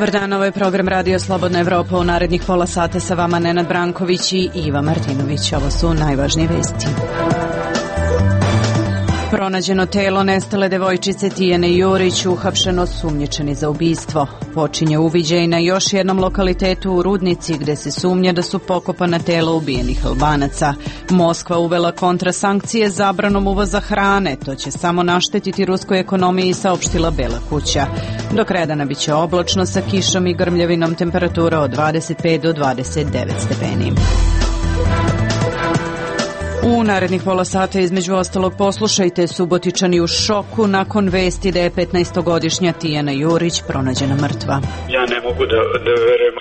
Dobar dan, ovo je program Radio Slobodna Evropa. U narednih pola sata sa vama Nenad Branković i Iva Martinović. Ovo su najvažnije vesti. Pronađeno telo nestale devojčice Tijane Jurić, uhapšeno osumnjičeni za ubistvo. Počinje uviđaj na još jednom lokalitetu u Rudnici gde se sumnja da su pokopana tela ubijenih Albanaca. Moskva uvela kontrasankcije zabranom uvoza hrane. To će samo naštetiti ruskoj ekonomiji, saopštila Bela kuća. Do Kredana biće oblačno sa kišom i grmljavinom, temperatura od 25 do 29 stepeni. U narednih pola sata između ostalog poslušajte: Subotičani u šoku nakon vesti da je 15-godišnja Tijana Jurić pronađena mrtva. Ja ne mogu da verujem,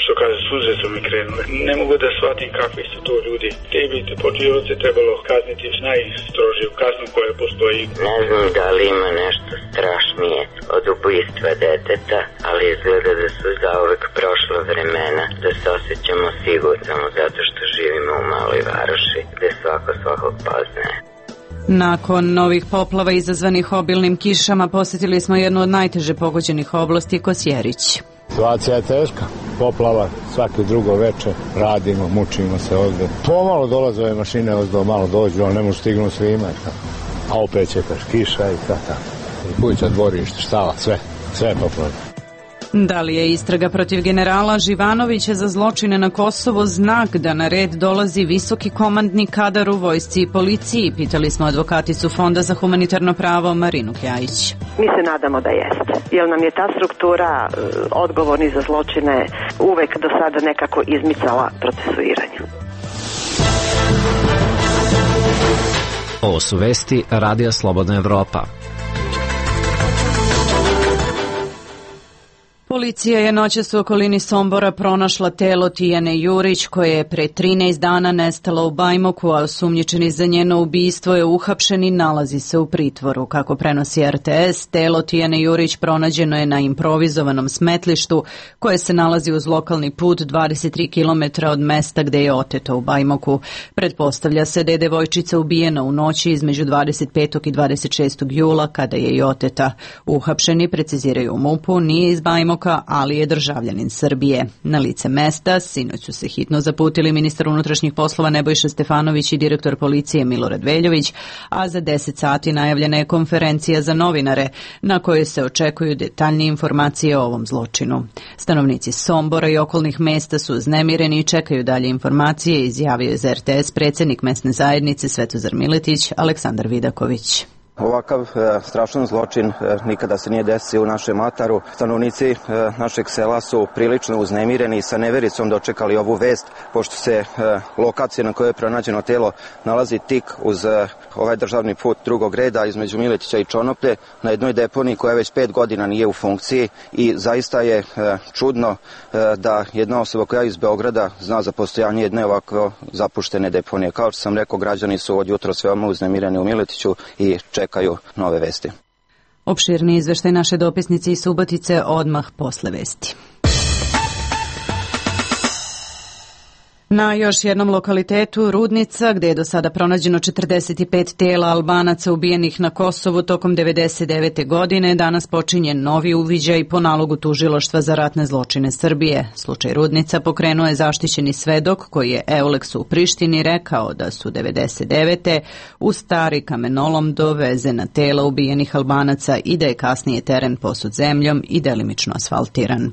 što kaže, suze su mi krenule. Ne mogu da shvatim kakvi su to ljudi. Te bi počinioce trebalo kazniti najstrožiju kaznu koja postoji. Ne znam da li ima nešto strašnije od ubojstva deteta, ali izgleda da su zauvek prošla vremena, da se osjećamo sigurno zato što živimo u maloj varoši gde svako svakog poznaje. Nakon novih poplava izazvanih obilnim kišama posjetili smo jednu od najteže pogođenih oblasti, Kosjerić. Situacija je teška, poplava svake drugo veče, radimo, mučimo se ovde. Pomalo dolaze ove mašine, ovdje malo dođu, ali ne mogu stignuti svima. A opet će kiša i tako. I kuća, dvorište, štala, sve je poplavno. Da li je istraga protiv generala Živanovića za zločine na Kosovo znak da na red dolazi visoki komandni kadar u vojsci i policiji? Pitali smo advokaticu Fonda za humanitarno pravo Marinu Kjajić. Mi se nadamo da jeste, jer nam je ta struktura odgovorni za zločine uvek do sada nekako izmicala procesuiranju. Ovo su vesti Radija Slobodna Evropa. Policija je noćas u okolini Sombora pronašla telo Tijane Jurić, koje je pre 13 dana nestala u Bajmoku, a osumnjičeni za njeno ubistvo je uhapšen i nalazi se u pritvoru. Kako prenosi RTS, telo Tijane Jurić pronađeno je na improvizovanom smetlištu koje se nalazi uz lokalni put 23 km od mesta gde je oteto u Bajmoku. Pretpostavlja se da je devojčica ubijena u noći između 25. i 26. jula kada je i oteta. Uhapšeni, preciziraju u MUP-u, nije iz Bajmoka, ali je državljanin Srbije. Na lice mesta sinoć su se hitno zaputili ministar unutrašnjih poslova Nebojša Stefanović i direktor policije Milorad Veljović, a za 10 sati najavljena je konferencija za novinare na kojoj se očekuju detaljnije informacije o ovom zločinu. Stanovnici Sombora i okolnih mesta su uznemireni i čekaju dalje informacije, izjavio je za RTS predsjednik mesne zajednice Svetozar Miletić Aleksandar Vidaković. Ovakav strašan zločin nikada se nije desio u našem Ataru. Stanovnici našeg sela su prilično uznemireni i sa nevericom dočekali ovu vest, pošto se lokacija na kojoj je pronađeno telo nalazi tik uz ovaj državni put drugog reda između Miletića i Čonoplje, na jednoj deponiji koja već 5 godina nije u funkciji, i zaista je čudno da jedna osoba koja iz Beograda zna za postojanje jedne ovako zapuštene deponije. Kao što sam rekao, građani su od jutros veoma uznemireni u Miletiću i čekaju nove vesti. Opširni izveštaj naše dopisnice iz Subotice odmah posle vesti. Na još jednom lokalitetu, Rudnica, gde je do sada pronađeno 45 tela Albanaca ubijenih na Kosovu tokom 1999. godine, danas počinje novi uviđaj po nalogu Tužilaštva za ratne zločine Srbije. Slučaj Rudnica pokrenuo je zaštićeni svedok koji je Euleksu u Prištini rekao da su 1999. u stari kamenolom dovezena tela ubijenih Albanaca i da je kasnije teren posut zemljom i delimično asfaltiran.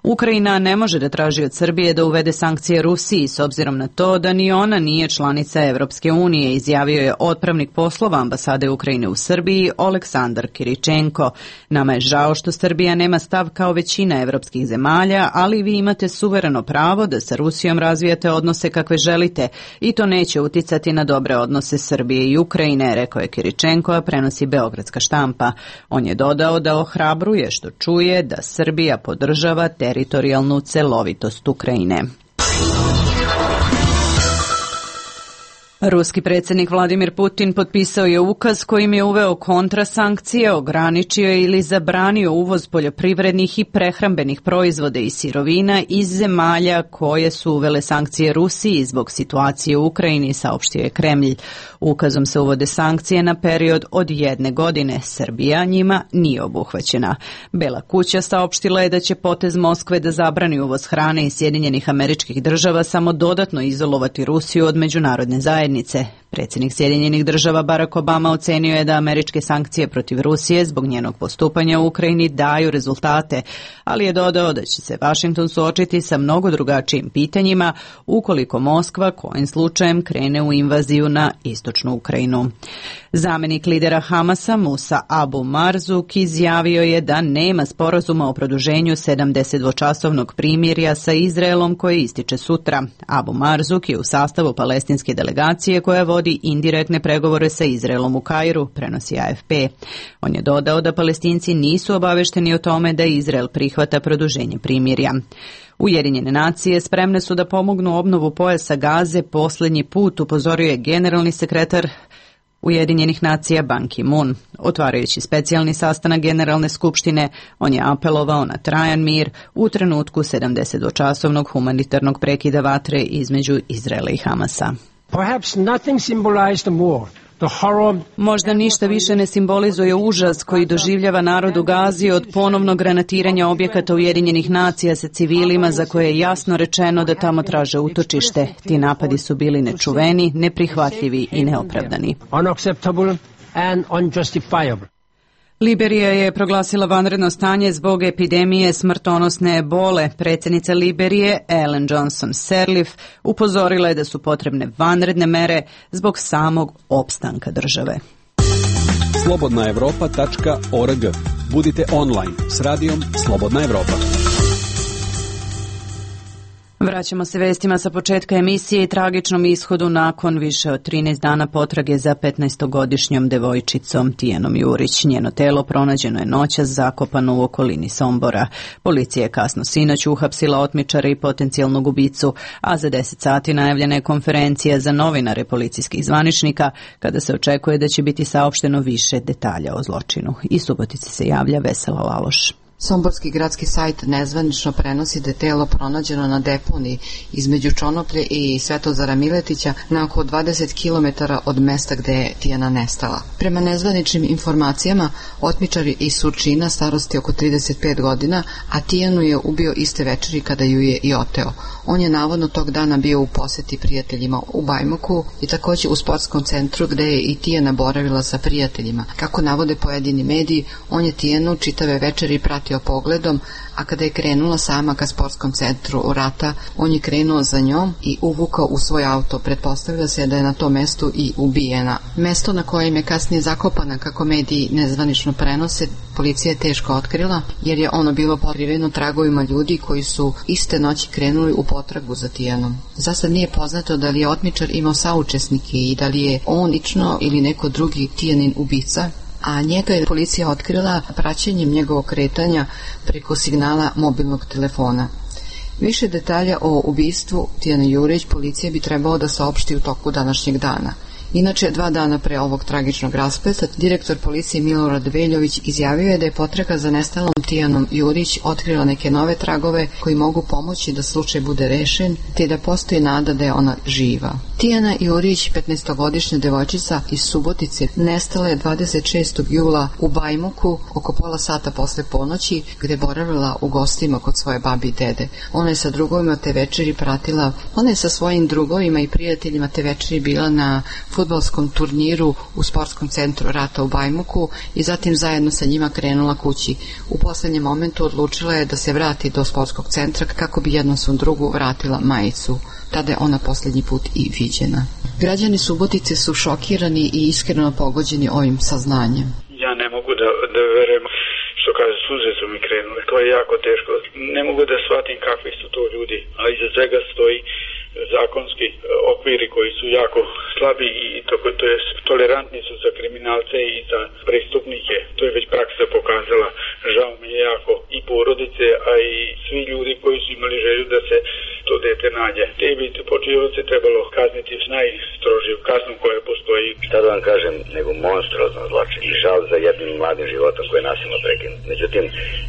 Ukrajina ne može da traži od Srbije da uvede sankcije Rusiji s obzirom na to da ni ona nije članica Evropske unije, izjavio je otpravnik poslova ambasade Ukrajine u Srbiji Oleksandar Kiričenko. Nama je žao što Srbija nema stav kao većina evropskih zemalja, ali vi imate suvereno pravo da sa Rusijom razvijate odnose kakve želite i to neće uticati na dobre odnose Srbije i Ukrajine, rekao je Kiričenko, a prenosi Beogradska štampa. On je dodao da ohrabruje što čuje da Srbija podržava teritorijalnu celovitost Ukrajine. Ruski predsjednik Vladimir Putin potpisao je ukaz kojim je uveo kontrasankcije, ograničio ili zabranio uvoz poljoprivrednih i prehrambenih proizvoda i sirovina iz zemalja koje su uvele sankcije Rusiji zbog situacije u Ukrajini, saopštio je Kremlj. Ukazom se uvode sankcije na period od 1 godine. Srbija njima nije obuhvaćena. Bela kuća saopštila je da će potez Moskve da zabrani uvoz hrane iz Sjedinjenih Američkih Država samo dodatno izolovati Rusiju od međunarodne zajednice. Predsjednik Sjedinjenih Država Barack Obama ocenio je da američke sankcije protiv Rusije zbog njenog postupanja u Ukrajini daju rezultate, ali je dodao da će se Washington suočiti sa mnogo drugačijim pitanjima ukoliko Moskva kojim slučajem krene u invaziju na istočnu Ukrajinu. Zamenik lidera Hamasa Musa Abu Marzuk izjavio je da nema sporazuma o produženju 72-časovnog primirja sa Izraelom koje ističe sutra. Abu Marzuk je u sastavu palestinske delegacije koja vodi indirektne pregovore sa Izraelom u Kairu, prenosi AFP. On je dodao da Palestinci nisu obavešteni o tome da Izrael prihvata produženje primirja. Ujedinjene nacije spremne su da pomognu obnovu pojasa Gaze, posljednji put upozorio je generalni sekretar Ujedinjenih nacija Ban Ki-moon. Otvarajući specijalni sastanak Generalne skupštine, on je apelovao na trajan mir u trenutku 72-časovnog humanitarnog prekida vatre između Izraela i Hamasa. Možda ništa više ne simbolizuje užas koji doživljava narod u Gazi od ponovnog granatiranja objekata Ujedinjenih nacija sa civilima za koje je jasno rečeno da tamo traže utočište. Ti napadi su bili nečuveni, neprihvatljivi i neopravdani. Liberija je proglasila vanredno stanje zbog epidemije smrtonosne ebole. Predsjednica Liberije, Ellen Johnson Sirleaf, upozorila je da su potrebne vanredne mere zbog samog opstanka države. slobodnaevropa.org. Budite online s radijom Slobodna Evropa. Vraćamo se vestima sa početka emisije i tragičnom ishodu nakon više od 13 dana potrage za 15-godišnjom devojčicom Tijanom Jurić. Njeno telo pronađeno je noćas zakopano u okolini Sombora. Policija je kasno sinoć uhapsila otmičara i potencijalnog ubicu, a za 10 sati najavljena je konferencija za novinare policijskih zvaničnika, kada se očekuje da će biti saopšteno više detalja o zločinu. Iz Subotice se javlja Vesela Laloš. Somborski gradski sajt nezvanično prenosi da je telo pronađeno na deponiji između Čonoplje i Svetozara Miletića na oko 20 km od mesta gde je Tijana nestala. Prema nezvaničnim informacijama, otmičari iz Surčina starosti oko 35 godina, a Tijanu je ubio iste večeri kada ju je i oteo. On je navodno tog dana bio u poseti prijateljima u Bajmoku i također u sportskom centru gde je i Tijana boravila sa prijateljima. Kako navode pojedini mediji, on je Tijanu čitave večeri pratio pogledom, a kada je krenula sama ka sportskom centru u Rata, on je krenuo za njom i uvukao u svoj auto. Pretpostavlja se da je na tom mestu i ubijena. Mesto na kojem je kasnije zakopana, kako mediji nezvanično prenose, policija je teško otkrila, jer je ono bilo pokriveno tragovima ljudi koji su iste noći krenuli u potragu za Tijanom. Zasad nije poznato da li je otmičar imao saučesnike i da li je on lično ili neko drugi Tijanin ubica, a njega je policija otkrila praćenjem njegovog kretanja preko signala mobilnog telefona. Više detalja o ubistvu Tijane Jurić policija bi trebalo da saopšti u toku današnjeg dana. Inače, 2 dana pre ovog tragičnog raspleta, direktor policije Milorad Veljović izjavio je da je potraga za nestalom Tijanom Jurić otkrila neke nove tragove koji mogu pomoći da slučaj bude rešen, te da postoji nada da je ona živa. Tijana Jurić, 15-godišnja devojčica iz Subotice, nestala je 26. jula u Bajmoku oko pola sata posle ponoći, gde boravila u gostima kod svoje babi i dede. Ona je sa drugovima te večeri pratila, ona je sa svojim drugovima i prijateljima te večeri bila na fudbalskom turniru u sportskom centru Rata u Bajmoku i zatim zajedno sa njima krenula kući. U poslednjem momentu odlučila je da se vrati do sportskog centra kako bi jednom svom drugu vratila majicu. Tada je ona posljednji put i viđena. Građani Subotice su šokirani i iskreno pogođeni ovim saznanjem. Ja ne mogu da verujem, što kaže, suze su mi krenule. To je jako teško. Ne mogu da shvatim kakvi su to ljudi, a iza svega stoji zakonski okviri koji su jako slabi i to je tolerantni su za kriminalce i za prestupnike. To je već praksa pokazala. Žao mi je jako i porodice, a i svi ljudi koji su imali želju da se to dete nađe. Te bi počinioce trebalo kazniti s najstrožijom kaznom koja postoji. Šta da vam kažem, nego monstruozno zločin i žal za jednim mladim životom koji je nasilno prekinut. Međutim,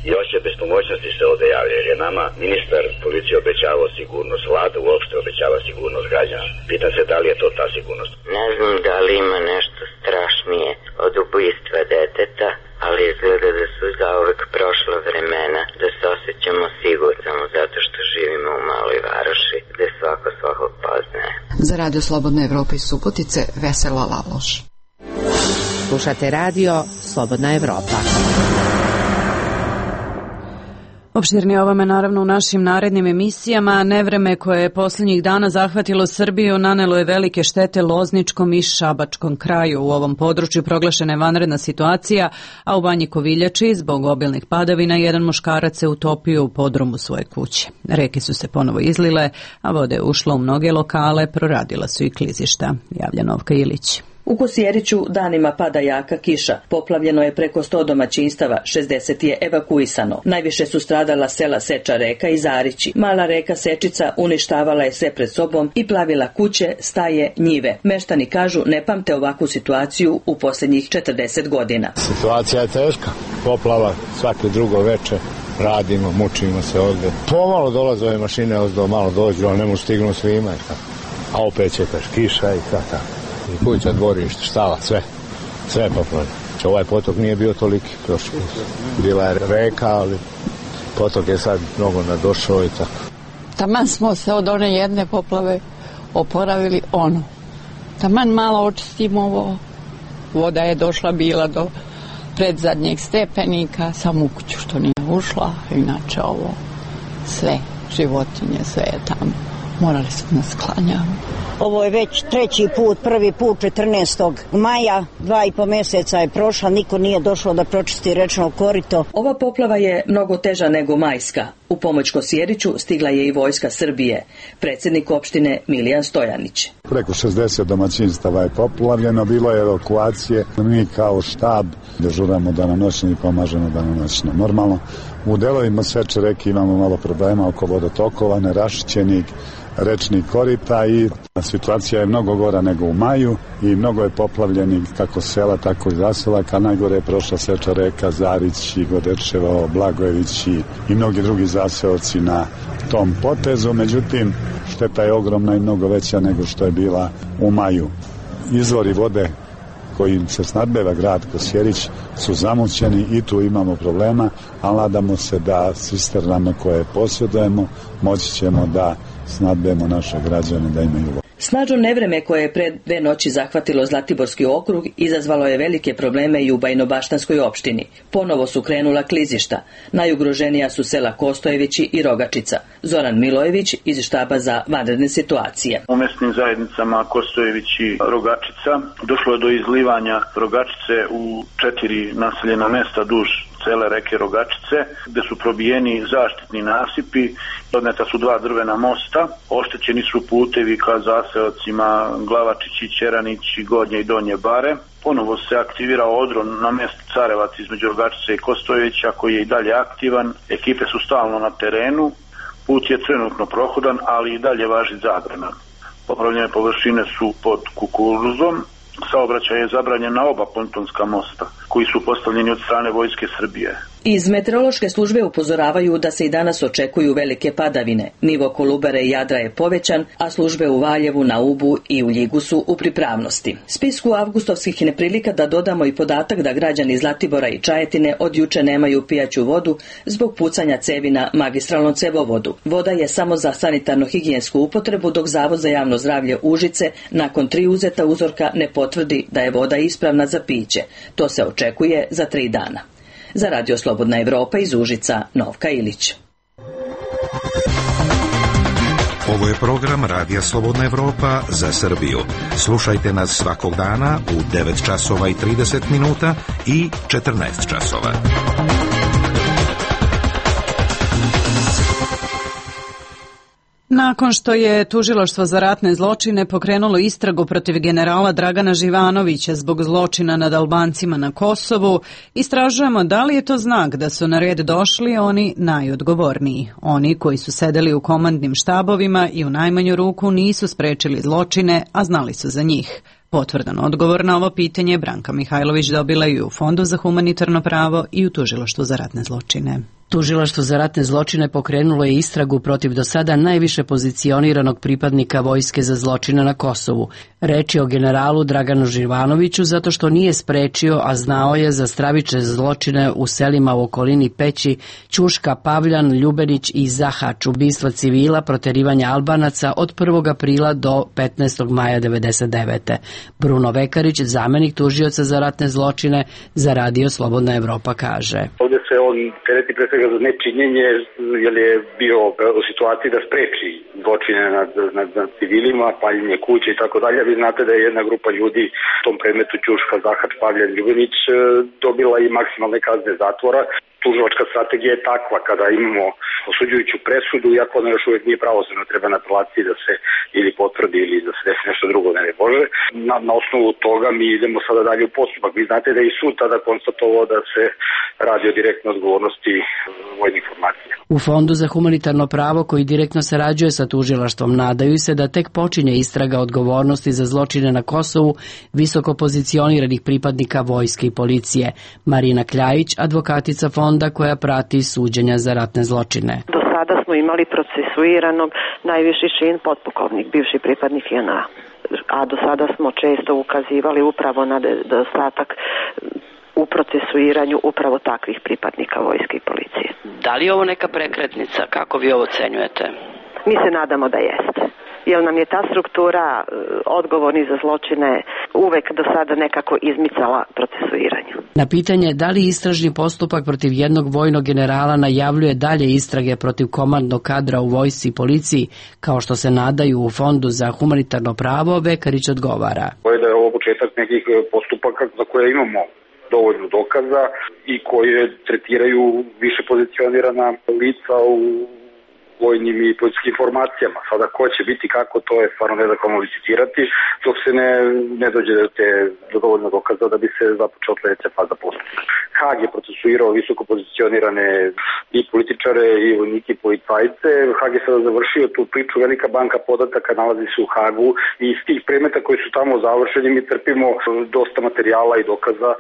i osjećaj bespomoćnosti se ovde javlja, jer je nama ministar policije obećavao sigurnost, vlada uopšte obećava sigurnost građana. Pitam se da li je to ta sigurnost. Ne znam da li ima nešto strašnije od ubistva deteta, ali izgleda da su zauvek prošla vremena, da se osjećamo sigurno zato što živimo u maloj varoši gde svako svakog poznaje. Za Radio Slobodna Evropa iz Subotice, Vesela Laloš. Slušate radio Slobodna Evropa. Opširnije ovome naravno u našim narednim emisijama. Nevreme koje je posljednjih dana zahvatilo Srbiju nanelo je velike štete Lozničkom i Šabačkom kraju. U ovom području proglašena je vanredna situacija, a u Banji Koviljači zbog obilnih padavina jedan muškarac se utopio u podrumu svoje kuće. Reke su se ponovo izlile, a voda je ušla u mnoge lokale, proradila su i klizišta. Javlja Novka Ilić. U Kosjeriću danima pada jaka kiša. Poplavljeno je preko 100 domaćinstava, 60 je evakuisano. Najviše su stradala sela Seča Reka i Zarići. Mala reka Sečica uništavala je sve pred sobom i plavila kuće, staje, njive. Meštani kažu ne pamte ovakvu situaciju u posljednjih 40 godina. Situacija je teška. Poplava svake drugo veče. Radimo, mučimo se ovde. Pomalo dolaze ove mašine, ozdo malo dođu, ali ne mogu stignu svima. A opet će kiša i tako. I kuća, dvorište, štala, sve je poplavljeno. Ovaj potok nije bio toliki prošli put. Bila je reka, ali potok je sad mnogo nadošao i tako. Taman smo se od one jedne poplave oporavili Taman malo očistimo ovo. Voda je došla bila do predzadnjeg stepenika, samo u kuću što nije ušla, inače ovo sve, životinje, sve je tamo. Morali smo nas sklanjati. Ovo je već treći put, prvi put 14. maja, 2,5 mjeseca je prošla, niko nije došao da pročisti rečno korito. Ova poplava je mnogo teža nego majska. U pomoć Kosjeriću stigla je i vojska Srbije. Predsjednik opštine Milijan Stojanić. Preko 60 domaćinstava je poplavljeno, bilo je evakuacije. Mi kao štab dežuramo danonoćno i pomažemo danonoćno. Normalno, u delovima Seče Reke imamo malo problema oko vodotokova, nerašićenih rečnih korita i situacija je mnogo gora nego u maju i mnogo je poplavljenih kako sela, tako i zaselaka. Najgore je prošla Seča Reka, Zarić, Godečevo, Blagojević i mnogi drugi zaseoci na tom potezu. Međutim, šteta je ogromna i mnogo veća nego što je bila u maju. Izvori vode kojim se snadbeva grad Kosjerić su zamućeni i tu imamo problema, ali nadamo se da cisternama koje posjedujemo moći ćemo da snadbemo naše građane da imaju vodu. Snažno nevreme koje je pred 2 noći zahvatilo Zlatiborski okrug izazvalo je velike probleme i u Bajnobaštanskoj opštini. Ponovo su krenula klizišta. Najugroženija su sela Kostojevići i Rogačica. Zoran Milojević iz štaba za vanredne situacije. U mesnim zajednicama Kostojević i Rogačica došlo je do izlivanja Rogačice u 4 naseljena mesta duž cele reke Rogačice, gde su probijeni zaštitni nasipi, odneta su 2 drvena mosta, oštećeni su putevi ka zaseocima Glavačići, Ćeranići, Gornje i Donje Bare. Ponovo se aktivira odron na mestu Carevac između Rogačice i Kostojevića koji je i dalje aktivan. Ekipe su stalno na terenu, put je trenutno prohodan, ali i dalje važi zabrana. Poplavljene površine su pod kukuruzom. Saobraćaj je zabranjen na oba pontonska mosta, koji su postavljeni od strane vojske Srbije. Iz meteorološke službe upozoravaju da se i danas očekuju velike padavine. Nivo Kolubare i Jadra je povećan, a službe u Valjevu, na Ubu i u Ljigu su u pripravnosti. Spisku avgustovskih neprilika da dodamo i podatak da građani Zlatibora i Čajetine od juče nemaju pijaću vodu zbog pucanja cevi na magistralnom cevovodu. Voda je samo za sanitarno-higijensku upotrebu, dok Zavod za javno zdravlje Užice nakon 3 uzeta uzorka ne potvrdi da je voda ispravna za piće. To se očekuje za 3 dana. Za Radio Slobodna Evropa iz Užica, Novka Ilić. Ovo je program Radija Slobodna Evropa za Srbiju. Slušajte nas svakog dana u 9 časova i 30 minuta i 14 časova. Nakon što je Tužilaštvo za ratne zločine pokrenulo istragu protiv generala Dragana Živanovića zbog zločina nad Albancima na Kosovu, istražujemo da li je to znak da su na red došli oni najodgovorniji. Oni koji su sedeli u komandnim štabovima i u najmanju ruku nisu sprečili zločine, a znali su za njih. Potvrdan odgovor na ovo pitanje Branka Mihajlović dobila i u Fondu za humanitarno pravo i u Tužilaštvu za ratne zločine. Tužilaštvo za ratne zločine pokrenulo je istragu protiv do sada najviše pozicioniranog pripadnika vojske za zločine na Kosovu. Reč je o generalu Draganu Živanoviću zato što nije sprečio, a znao je za stravične zločine u selima u okolini Peći, Ćuška, Pavljan, Ljubenić i Zahač, ubistva civila, proterivanja Albanaca od 1. aprila do 15. maja 1999. Bruno Vekarić, zamenik tužioca za ratne zločine za Radio Slobodna Evropa, kaže. Ovdje se on tereti pre svega za nečinjenje, jer je bio u situaciji da spreči zločine nad civilima, paljenje kuće i tako dalje. Vi znate da je jedna grupa ljudi u tom predmetu Ćuška, Zahač, Pavljan, Ljubenić dobila i maksimalne kazne zatvora. Tužilačka strategija je takva kada imamo osuđujuću presudu, iako ona još uvijek nije pravosnažna, treba na apelaciji da se ili potvrdi ili da se desi nešto drugo, ne Bože. Na osnovu toga mi idemo sada dalje u postupak. Vi znate da je i sud tada konstatovao da se radi o direktnoj odgovornosti vojnih formacija. U Fondu za humanitarno pravo, koji direktno sarađuje sa tužilaštvom, nadaju se da tek počinje istraga odgovornosti za zločine na Kosovu visoko pozicioniranih pripadnika vojske i policije. Marina Kljajić, advokatica Fonda koja prati suđenja za ratne zločine. Do sada smo imali procesuiranog najviši čin potpukovnik, bivši pripadnik JNA. A do sada smo često ukazivali upravo na nedostatak u procesuiranju upravo takvih pripadnika vojske i policije. Da li je ovo neka prekretnica? Kako vi ovo ocenjujete? Mi se nadamo da jeste. Jer nam je ta struktura odgovorni za zločine uvek do sada nekako izmicala procesuiranju. Na pitanje da li istražni postupak protiv jednog vojnog generala najavljuje dalje istrage protiv komandnog kadra u vojsci i policiji, kao što se nadaju u Fondu za humanitarno pravo, Vekarić odgovara. Da je ovo početak nekih postupaka za koje imamo dovoljno dokaza i koje tretiraju više pozicionirana lica u vojnim i policijskim formacijama. Sada ko će biti kako, to je stvarno nezahvalno licitirati, dok se ne dođe do dovoljno dokaza da bi se započela sledeća faza postupka. Hag je procesuirao visoko pozicionirane i političare i vojnike i policajce. Hag je sada završio tu priču, velika banka podataka nalazi se u Hagu i iz tih predmeta koji su tamo završeni mi trpimo dosta materijala i dokaza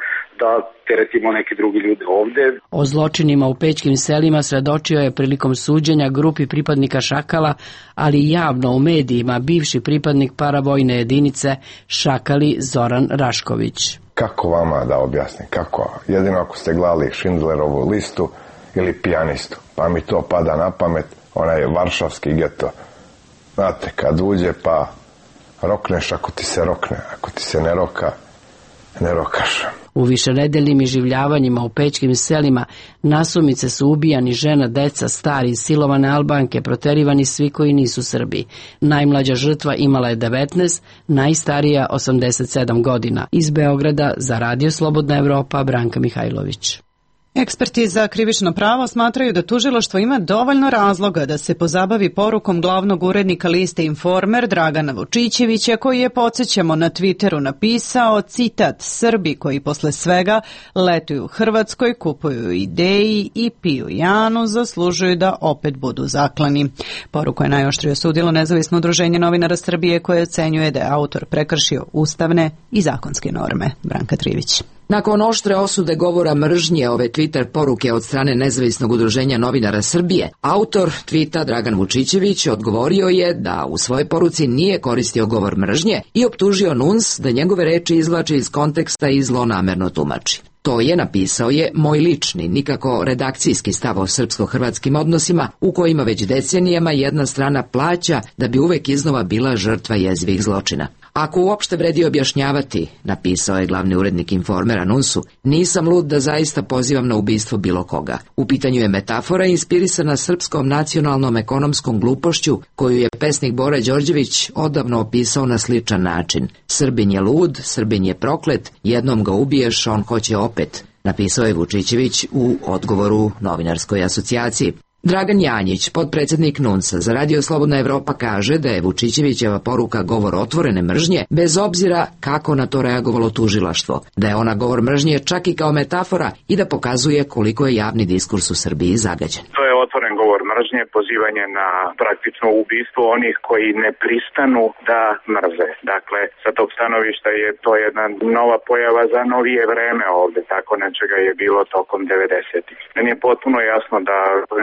da teretimo neke drugi ljude ovde. O zločinima u pećkim selima svedočio je prilikom suđenja grupi pripadnika Šakala, ali javno u medijima bivši pripadnik paravojne jedinice Šakali Zoran Rašković. Kako vama da objasnim? Kako? Jedino ako ste gledali Schindlerovu listu ili Pijanistu, pa mi to pada na pamet, onaj varšavski geto. Znate, kad uđe pa rokneš ako ti se rokne, ako ti se ne roka, ne rokaš. U višenedeljnim iživljavanjima u pećkim selima nasumice su ubijani žena, deca, stari, silovane Albanke, proterivani svi koji nisu Srbi. Najmlađa žrtva imala je 19, najstarija 87 godina. Iz Beograda za Radio Slobodna Evropa, Branka Mihajlović. Eksperti za krivično pravo smatraju da tužilaštvo ima dovoljno razloga da se pozabavi porukom glavnog urednika liste Informer Dragana Vučićevića, koji je, podsjećamo, na Twitteru napisao, citat, Srbi koji posle svega letuju u Hrvatskoj, kupuju ideji i piju Janu, zaslužuju da opet budu zaklani. Poruku je najoštrije osudilo nezavisno udruženje novinara Srbije, koje ocenjuje da je autor prekršio ustavne i zakonske norme. Branka Trivić. Nakon oštre osude govora mržnje ove Twitter poruke od strane nezavisnog udruženja novinara Srbije, autor tvita Dragan Vučićević odgovorio je da u svojoj poruci nije koristio govor mržnje i optužio NUNS da njegove reči izvlači iz konteksta i zlonamerno tumači. To je, napisao je, moj lični, nikako redakcijski stav o srpsko-hrvatskim odnosima u kojima već decenijama jedna strana plaća da bi uvek iznova bila žrtva jezivih zločina. Ako uopšte vredi objašnjavati, napisao je glavni urednik Informera NUNS-u, nisam lud da zaista pozivam na ubistvo bilo koga. U pitanju je metafora inspirisana srpskom nacionalnom ekonomskom glupošću koju je pesnik Bora Đorđević odavno opisao na sličan način. Srbin je lud, Srbin je proklet, jednom ga ubiješ, on hoće opet, napisao je Vučićević u odgovoru novinarskoj asocijaciji. Dragan Janjić, potpredsjednik NUNS-a za Radio Slobodna Evropa, kaže da je Vučićevićeva poruka govor otvorene mržnje, bez obzira kako na to reagovalo tužilaštvo, da je ona govor mržnje čak i kao metafora i da pokazuje koliko je javni diskurs u Srbiji zagađen. To je otvoren govor mržnje, pozivanje na praktično ubistvo onih koji ne pristanu da mrze. Dakle, sa tog stanovišta je to jedna nova pojava za novije vreme ovde, tako nečega je bilo tokom 90-ih. Meni je potpuno jasno da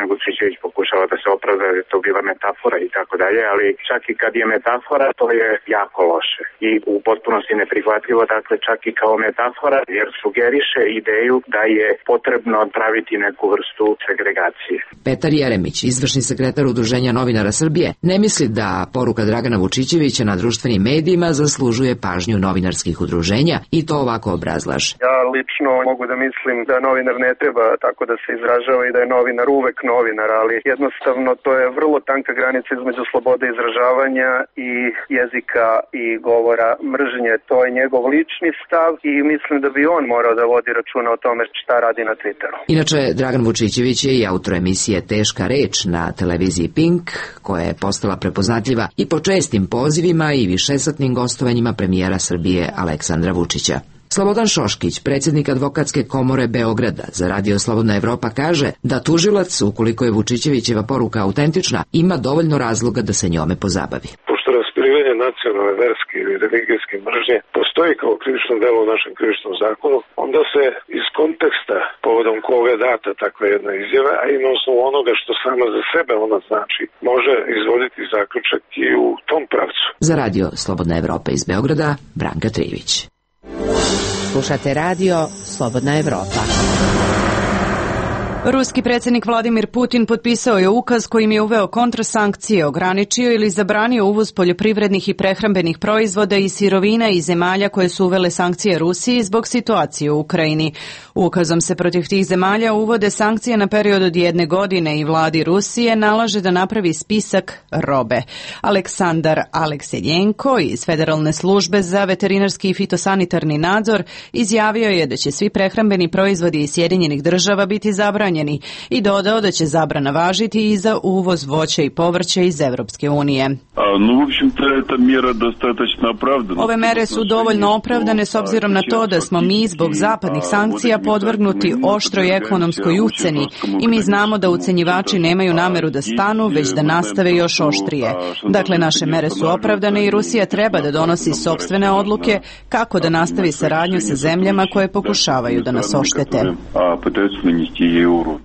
Vučićević pokušava da se opravda da je to bila metafora i tako dalje, ali čak i kad je metafora, to je jako loše i u potpunosti neprihvatljivo, dakle čak i kao metafora, jer sugeriše ideju da je potrebno praviti neku vrstu segregacije. Petar Jeremić, izvršni sekretar Udruženja novinara Srbije, ne misli da poruka Dragana Vučićevića na društvenim medijima zaslužuje pažnju novinarskih udruženja i to ovako obrazlaže. Ja lično mogu da mislim da novinar ne treba tako da se izražava i da je novinar uvek novinar, ali jednostavno to je vrlo tanka granica između slobode izražavanja i jezika i govora mržnje. To je njegov lični stav i mislim da bi on morao da vodi računa o tome šta radi na Twitteru. Inače, Dragan Vučićević je i autor emisije Teška reč na televiziji Pink, koja je postala prepoznatljiva i po čestim pozivima i višesatnim gostovanjima premijera Srbije Aleksandra Vučića. Slobodan Šoškić, predsjednik Advokatske komore Beograda za Radio Slobodna Evropa, kaže da tužilac, ukoliko je Vučićevićeva poruka autentična, ima dovoljno razloga da se njome pozabavi. Pošto raspirivanje nacionalne, verske ili religijske mržnje postoji kao krivično delo u našem krivičnom zakonu, onda se iz konteksta povodom koga je data takva jedna izjava, a i na osnovu onoga što sama za sebe ona znači, može izvoditi zaključak i u tom pravcu. Za Radio Slobodna Evropa iz Beograda, Branka Trivić. Slušate radio Slobodna Evropa. Ruski predsjednik Vladimir Putin potpisao je ukaz kojim je uveo kontrasankcije, ograničio ili zabranio uvoz poljoprivrednih i prehrambenih proizvoda i sirovina iz zemalja koje su uvele sankcije Rusiji zbog situacije u Ukrajini. Ukazom se protiv tih zemalja uvode sankcije na period od 1 godine i vladi Rusije nalaže da napravi spisak robe. Aleksandar Aleksejenko iz Federalne službe za veterinarski i fitosanitarni nadzor izjavio je da će svi prehrambeni proizvodi iz Sjedinjenih Država biti zabranjeni i dodao da će zabrana važiti i za uvoz voća i povrća iz Evropske unije. Ove mere su dovoljno opravdane s obzirom na to da smo mi zbog zapadnih sankcija podvrgnuti oštroj ekonomskoj uceni i mi znamo da ucenjivači nemaju nameru da stanu, već da nastave još oštrije. Dakle, naše mere su opravdane i Rusija treba da donosi sopstvene odluke kako da nastavi saradnju sa zemljama koje pokušavaju da nas oštete.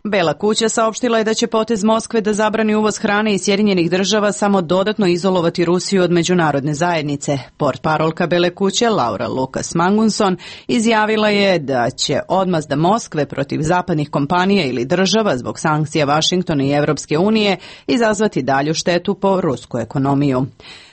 Bela kuća saopštila je da će potez Moskve da zabrani uvoz hrane iz Sjedinjenih Država samo dodatno izolovati Rusiju od međunarodne zajednice. Portparolka Bele kuće Laura Lucas Mangunson izjavila je da će odmazda Moskve protiv zapadnih kompanija ili država zbog sankcija Vašingtona i Evropske unije izazvati dalju štetu po rusku ekonomiju.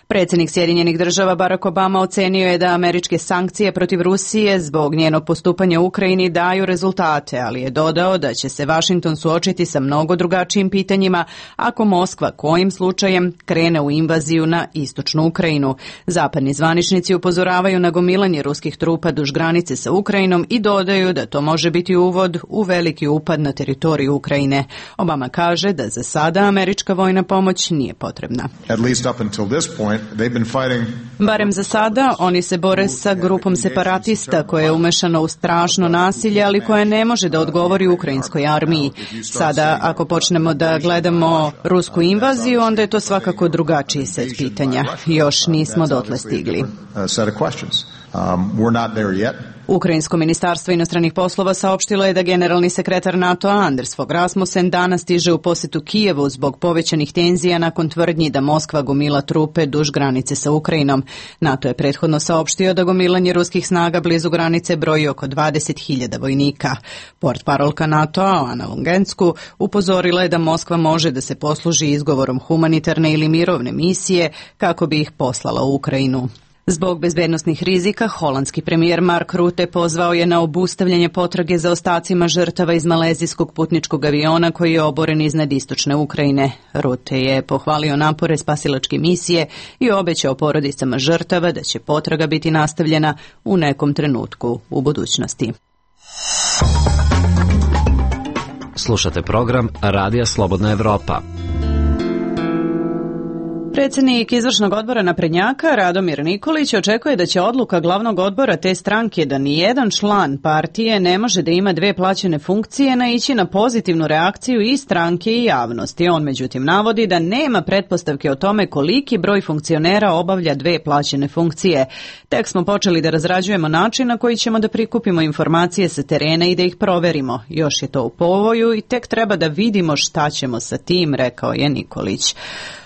Predsjednik Sjedinjenih Država Barack Obama ocenio je da američke sankcije protiv Rusije zbog njenog postupanja u Ukrajini daju rezultate, ali je dodao da će se Vašington suočiti sa mnogo drugačijim pitanjima ako Moskva kojim slučajem krene u invaziju na istočnu Ukrajinu. Zapadni zvaničnici upozoravaju na gomilanje ruskih trupa duž granice sa Ukrajinom i dodaju da to može biti uvod u veliki upad na teritoriju Ukrajine. Obama kaže da za sada američka vojna pomoć nije potrebna. Barem za sada, oni se bore sa grupom separatista koja je umešana u strašno nasilje, ali koja ne može da odgovori ukrajinskoj armiji. Sada, ako počnemo da gledamo rusku invaziju, onda je to svakako drugačiji set pitanja. Još nismo dotle stigli. Ukrajinsko ministarstvo inostranih poslova saopštilo je da generalni sekretar NATO-a Anders Fogh Rasmussen danas stiže u posetu Kijevu zbog povećanih tenzija nakon tvrdnji da Moskva gomila trupe duž granice sa Ukrajinom. NATO je prethodno saopštio da gomilanje ruskih snaga blizu granice broji oko 20.000 vojnika. Portparolka NATO-a Ana Lungensku upozorila je da Moskva može da se posluži izgovorom humanitarne ili mirovne misije kako bi ih poslala u Ukrajinu. Zbog bezbednosnih rizika, holandski premijer Mark Rutte pozvao je na obustavljanje potrage za ostacima žrtava iz malezijskog putničkog aviona koji je oboren iznad istočne Ukrajine. Rutte je pohvalio napore spasilačke misije i obećao porodicama žrtava da će potraga biti nastavljena u nekom trenutku u budućnosti. Slušate program Radija Slobodna Evropa. Predsjednik izvršnog odbora naprednjaka Radomir Nikolić očekuje da će odluka glavnog odbora te stranke da nijedan član partije ne može da ima dve plaćene funkcije naići na pozitivnu reakciju i stranke i javnosti. On međutim navodi da nema pretpostavke o tome koliki broj funkcionera obavlja dve plaćene funkcije. Tek smo počeli da razrađujemo način na koji ćemo da prikupimo informacije sa terena i da ih proverimo. Još je to u povoju i tek treba da vidimo šta ćemo sa tim, rekao je Nikolić.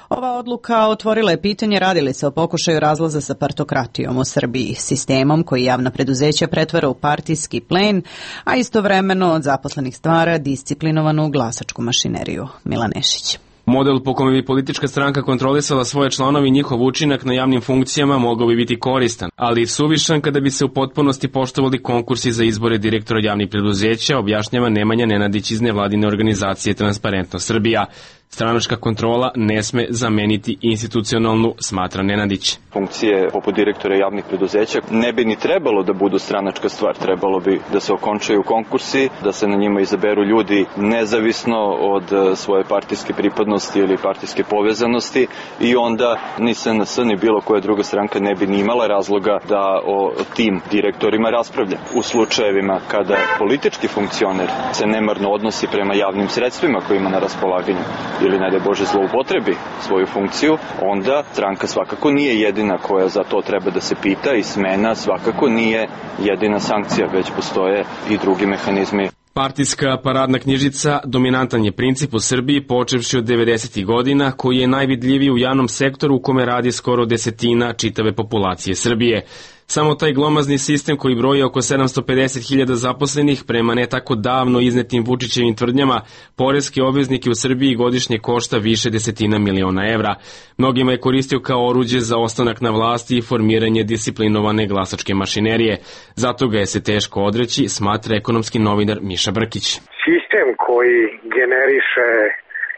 Ova odluka otvorila je pitanje radi li se o pokušaju razlaza sa partokratijom u Srbiji, sistemom koji javna preduzeća pretvara u partijski plen, a istovremeno od zaposlenih stvara disciplinovanu glasačku mašineriju. Milan Nešić. Model po kome bi politička stranka kontrolisala svoje članove i njihov učinak na javnim funkcijama mogao bi biti koristan, ali i suvišan kada bi se u potpunosti poštovali konkursi za izbore direktora javnih preduzeća, objašnjava Nemanja Nenadić iz nevladine organizacije Transparentno Srbija. Stranačka kontrola ne sme zameniti institucionalnu, smatra Nenadić. Funkcije poput direktora javnih preduzeća ne bi ni trebalo da budu stranačka stvar. Trebalo bi da se okončaju konkursi, da se na njima izaberu ljudi nezavisno od svoje partijske pripadnosti ili partijske povezanosti i onda ni SNS ni bilo koja druga stranka ne bi ni imala razloga da o tim direktorima raspravlja. U slučajevima kada politički funkcioner se nemarno odnosi prema javnim sredstvima koje ima na raspolaganju ili ne daj Bože zloupotrebi svoju funkciju, onda stranka svakako nije jedina koja za to treba da se pita i smena svakako nije jedina sankcija, već postoje i drugi mehanizmi. Partijska paradna knjižica dominantan je princip u Srbiji počevši od 90. godina koji je najvidljiviji u javnom sektoru u kome radi skoro desetina čitave populacije Srbije. Samo taj glomazni sistem koji broji oko 750.000 zaposlenih prema ne tako davno iznetim Vučićevim tvrdnjama, poreske obveznike u Srbiji godišnje košta više desetina miliona evra. Mnogima je koristio kao oruđe za ostanak na vlasti i formiranje disciplinovane glasačke mašinerije. Zato ga je se teško odreći, smatra ekonomski novinar Miša Brkić. Sistem koji generiše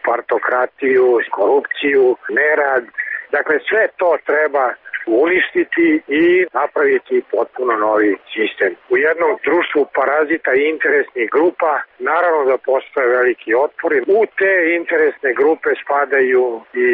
partokratiju, korupciju, nerad, dakle sve to treba uništiti i napraviti potpuno novi sistem. U jednom društvu parazita i interesnih grupa naravno da postoje veliki otpori. U te interesne grupe spadaju i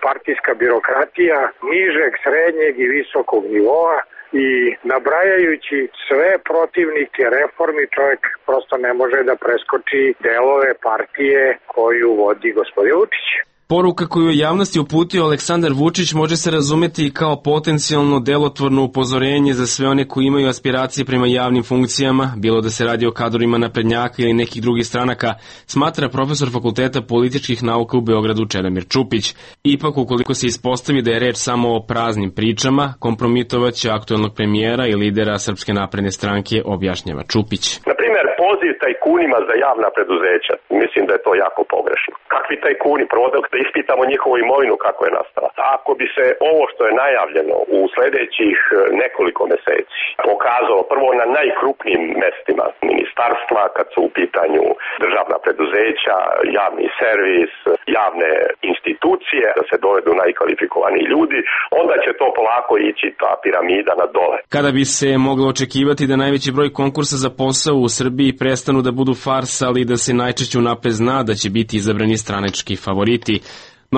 partijska birokratija nižeg, srednjeg i visokog nivoa i nabrajajući sve protivnike reformi čovjek prosto ne može da preskoči delove partije koju vodi gospodin Vučić. Poruka koju je javnosti uputio Aleksandar Vučić može se razumeti kao potencijalno delotvorno upozorenje za sve one koji imaju aspiracije prema javnim funkcijama, bilo da se radi o kadrovima naprednjaka ili nekih drugih stranaka, smatra profesor Fakulteta političkih nauka u Beogradu Čedomir Čupić. Ipak, ukoliko se ispostavi da je reč samo o praznim pričama, kompromitovaće aktuelnog premijera i lidera Srpske napredne stranke, objašnjava Čupić. Na primjer, poziv tajkunima za javna preduzeća, mislim da je to jako pogrešno. Kakvi tajkuni? Prvo da ispitamo njihovu imovinu kako je nastala. Ako bi se ovo što je najavljeno u sledećih nekoliko meseci pokazalo prvo na najkrupnijim mestima ministarstva, kad su u pitanju državna preduzeća, javni servis, javne institucije, da se dovedu najkvalifikovaniji ljudi, onda će to polako ići ta piramida na dole. Kada bi se moglo očekivati da najveći broj konkursa za posao u Srbiji prestanu da budu farsa, ali da se najčešće unapred zna da će biti izabrani stranački favoriti.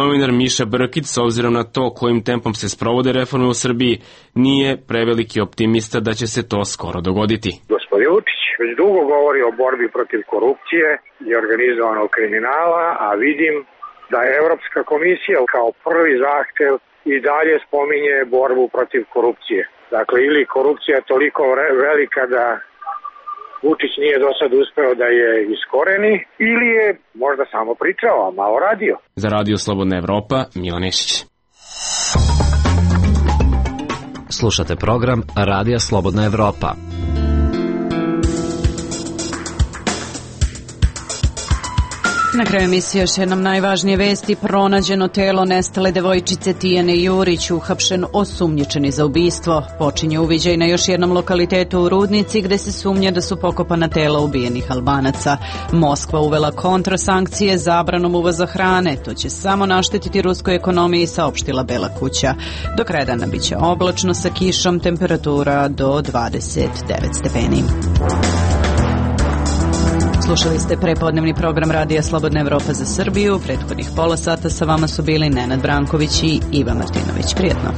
Novinar Miša Brkić, s obzirom na to kojim tempom se sprovode reforme u Srbiji, nije preveliki optimista da će se to skoro dogoditi. Gospodin Vučić već dugo govori o borbi protiv korupcije i organizovanog kriminala, a vidim da je Evropska komisija kao prvi zahtev i dalje spominje borbu protiv korupcije. Dakle, ili korupcija je toliko velika da Vučić nije do sad uspeo da je iskoreni ili je možda samo pričao, a malo radio. Za Radio Slobodna Evropa, Milan Nešić. Slušate program Radija Slobodna Evropa. Na kraju emisije još jednom najvažnije vesti. Pronađeno telo nestale devojčice Tijane Jurić, uhapšen osumnjičeni za ubistvo. Počinje uviđaj na još jednom lokalitetu u Rudnici gde se sumnja da su pokopana tela ubijenih Albanaca. Moskva uvela kontrasankcije zabranom uvoza hrane. To će samo naštetiti ruskoj ekonomiji, saopštila Bela kuća. Do kraja dana biće oblačno sa kišom, temperatura do 29 stepeni. Slušali ste prepodnevni program Radija Slobodna Evropa za Srbiju. Prethodnih pola sata sa vama su bili Nenad Branković i Iva Martinović. Prijetno.